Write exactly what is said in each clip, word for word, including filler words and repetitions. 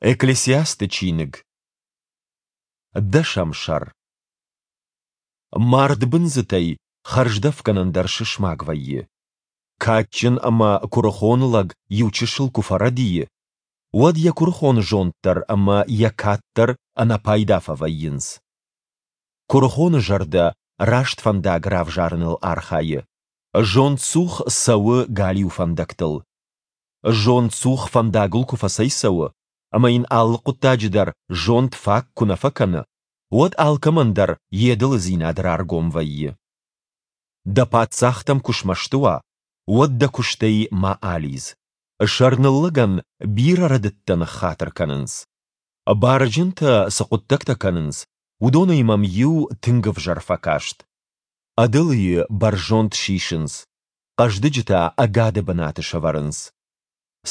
Экклесиасты чиныг, дӕсӕм сӕр. Мард бындзытӕй хӕрздӕфгӕнӕн дӕр сысмаг вӕййы. Кадджын ӕмӕ куырыхон лӕг иу чысыл куы фӕрӕдийы, уӕд йӕ куырыхон зонд дӕр ӕмӕ йӕ кад дӕр ӕнӕпайда фӕвӕййынц. Куырыхоны зӕрдӕ раст фӕндаг равзарыныл архайы. Зондцух цӕуы галиу фӕндӕгтыл. Зондцух фӕндагыл куы фӕцӕйцӕуы, ӕмӕ йын алы хъуыддаджы дӕр зонд фаг куы нӕ фӕкӕны, уӕд алкӕмӕн дӕр йе дылыдзинад раргом вӕййы. Дӕ паддзах дӕм куы смӕсты уа, уӕд дӕ куыстӕй ма алидз. Сӕрныллӕгӕн бирӕ рӕдыдтӕ ныххатыр кӕнынц. Барджынтӕ цы хъуыддӕгтӕ кӕнынц, уыдонӕй мӕм иу тынг ӕвзӕр фӕкаст. Ӕдылыйы бӕрзонд сисынц, хъӕздыджы та ӕгады бынаты сӕвӕрынц.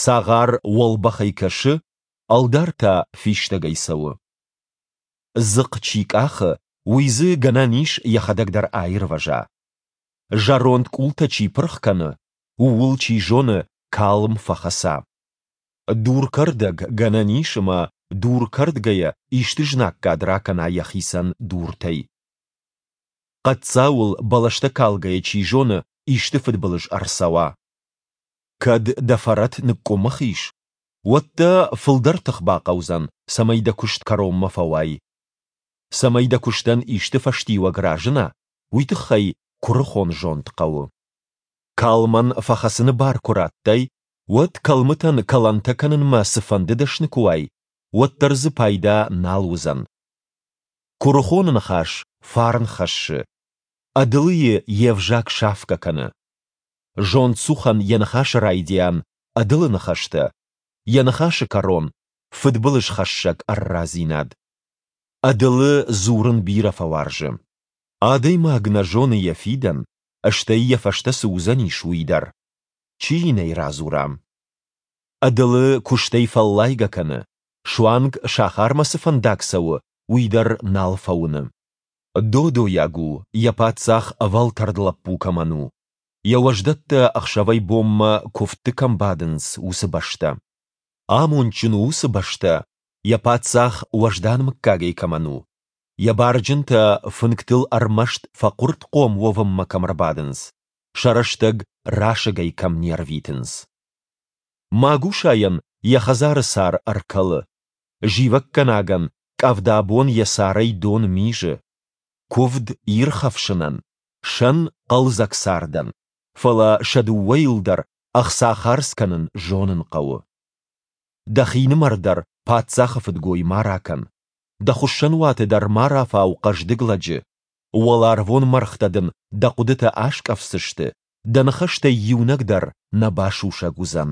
Цагъар уӕлбӕхӕй кӕсы, ӕлдар та фистӕгӕй цӕуы. Дзыхъхъ чи къахы, уый дзы, гӕнӕн ис, йӕхӕдӕг дӕр аирвӕза. Зӕронд къултӕ чи пырх кӕны, ууыл, чи зоны, калм фӕхӕца. Дуркӕрдӕг, гӕнӕн ис, ӕмӕ дур кӕрдгӕйӕ исты знаггад ракӕна йӕхицӕн дуртӕй. Хъӕддзауыл бӕлӕстӕ калгӕйӕ, чи зоны, исты фыдбылыз ӕрцӕуа. Кӕд дӕ фӕрӕт ныкъкъуымых ис, уӕд дӕ фылдӕр тых бахъӕудзӕн, цӕмӕй дӕ куыст кӕронмӕ фӕуай. Цӕмӕй дӕ куыстӕн исты фӕстиуӕг разына, уый тыххӕй куырыхон зонд хъӕуы. Калмӕн фӕхӕцыны бар куы радтай, уӕд кӕлмытӕн кӕлӕнтӕ кӕнынмӕ цыфӕнды дӕсны куы уай, уӕддӕр дзы пайда нал уыдзӕн. Куырыхоны ныхас фарн хӕссы, ӕдылыйы йе взаг сафгӕ кӕны. Зондцухӕн йӕ ныхасы райдиан ӕдылы ныхӕстӕ, йӕ ныхасы кӕрон фыдбылызхӕссӕг ӕррадзинад. Ӕдылы дзурын бирӕ фӕуарзы. Адӕймаг нӕ зоны йӕ фидӕн, стӕй йӕ фӕстӕ цы уыдзӕнис, уый дӕр. Чи йын ӕй радзура? Ӕдылы куыстӕй фӕллайгӕ кӕны, суанг сахармӕ цы фӕндаг цӕуы, уый дӕр нал фӕуыны. Додойаг у, йӕ паддзах ӕвӕлтӕрд лӕппу кӕмӕн у, йӕ уӕздӕттӕ ӕхсӕвӕй-бонмӕ куывдты кӕм бадынц, уыцы бӕстӕ. Амондджын у уыцы бӕстӕ, йӕ паддзах уӕздан мыггагӕй кӕмӕн у, йӕ барджынтӕ фынгтыл ӕрмӕст фӕхъуыртхъом уӕвынмӕ кӕм ӕрбадынц, сӕ рӕстӕг расыгӕй кӕм не рвитынц. Магусайӕн йӕ хӕдзары цар ӕркӕлы, зивӕггӕнагӕн къӕвда бон йӕ царӕй дон мизы. Куывд ирхӕфсынӕн, сӕн хъӕлдзӕг цардӕн, фӕлӕ сӕ дыууӕйыл дӕр ӕхца хардз кӕнын зонын хъӕуы. Дӕхинымӕр дӕр паддзахы фыдгой ма ракӕн, дӕ хуыссӕнуаты дӕр ма рафау хъӕздыг лӕджы. Уӕларвон мӕргътӕ дын дӕ хъуыдытӕ аскъӕфдзысты, дӕ ныхӕстӕй иунӕг дӕр нӕ басусӕг уыдзӕн.